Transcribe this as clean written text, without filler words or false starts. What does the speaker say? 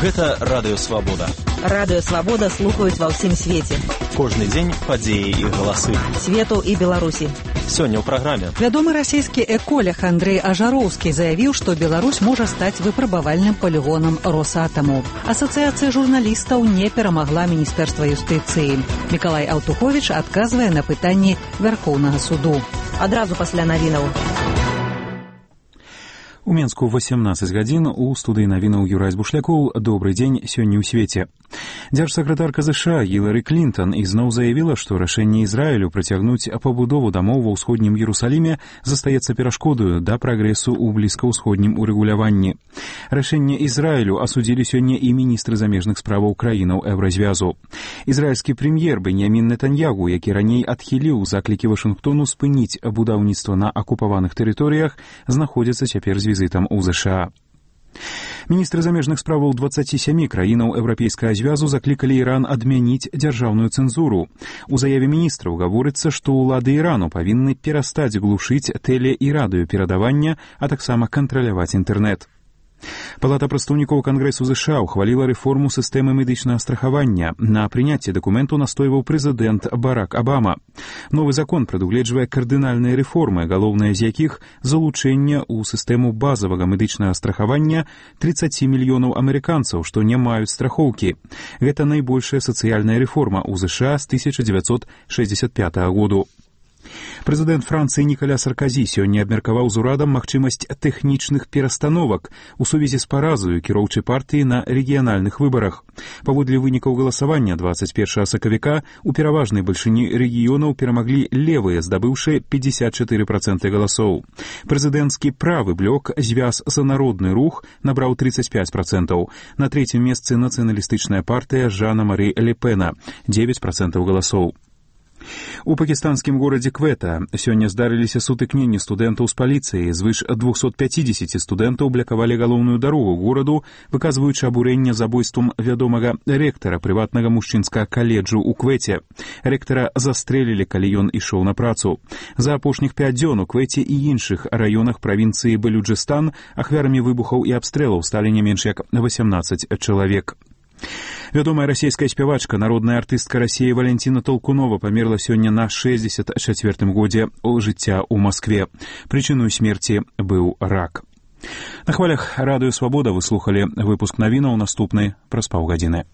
Гэта радыёвабода. Радыёвабода слухаюць ва ўсім свеце. Кожны дзень падзеі і галасы. Свету і Беларусі. Сёння ў праграме. Вядомы расійскі эколог Андрэй Ажароўскі заявіў, што Беларусь можа стаць выпрабавальным палігонам Росатаму. Асацыяцыя журналістаў не перамагла Міністэрства юстыцыі. Мікалай Аўтуховіч адказвае на пытанні Вярхоўнага суду. Адразу пасля навінаў. У Менску 18 гадзін у студыі навінаў Юрай Збушлякоў. Добрый дзень сёння ў свеце. Дзяржсакратарка ЗША Гілары Клінтон ізноў заявіла, што рашэнне Ізраілю працягнуць пабудову дамоў ва ўсходнім Іерусаліме застаецца перашкодаю да прагрэсу ў блізкаўсходнім урэгуляванні. Рашэнне Ізраілю асудзілі сёння і міністры замежных справаў краінаў Еўразвязу. Ізраільскі прэм'ер Беньямін Нетаньягу, які раней адхіліў заклікі Вашынгтону спыніць будаўніцтва на акупаваных тэрыторыях, знаходзіцца цяпер з візітам у ЗША. Міністры замежных справаў 27 краінаў Еўрапейскага звязу заклікалі Іран адмяніць дзяржаўную цэнзуру. У заяве міністраў гаворыцца, што ўлады Ірану павінны перастаць глушыць тэле- і радыёперадавання, а таксама кантраляваць інтэрнэт. Палата прадстаўнікоў Кангрэсу ЗША ухваліла рэформу сістэмы медычнага страхавання. На прыняцці дакументу настойваў прэзідэнт Барак Абама. Новы закон прадугледжвае кардынальныя рэформы, галоўнае з якіх залучэнне ў сістэму базавага медычнага страхавання 30 мільёнаў амерыканцаў, што не маюць страхоўкі. Гэта найбольшая сацыяльная рэформа ў ЗША з 1965 году. Прэзідэнт Францыі Нікаля Сарказі сёння абмеркаваў з урадам магчымасць тэхнічных перастановак у сувязі з паразаю кіроўчай партыі на рэгіянальных выбарах. Паводле вынікаў галасавання 21 сакавіка у пераважнай бальшыні рэгіёнаў перамаглі левыя, здабыўшы 54% галасоў. Прэзідэнцкі правы блок «Звяз за народны рух» набраў 35%. На трэцім месцы нацыяналістычная партыя Жана-Мары Ле Пена – 9% галасоў. У пакістанскім горадзе Квета сёння здарыліся сутыкненні студэнтаў з паліцыяй. Звыш 250 студэнтаў блакавалі галоўную дарогу гораду, выказваючы абурэнне забойствам вядомага рэктара прыватнага мужчынскага каледжу ў Квеце. Рэктара застрэлілі, калі ён ішоў на працу. За апошніх 5 дзён у Квеце і іншых раёнах правінцыі Балюджыстан ахвярамі выбухаў і абстрэлаў сталі не менш як 18 чалавек. Вядомая расійская спявачка, народная артыстка Расіі Валянціна Толкунова памерла сёння на 64-м годзе жыцця ў Маскве. Прычыною смерці быў рак. На хвалях радыёвабода вы слухалі выпуск навінаў, наступны праз паўгадзіны.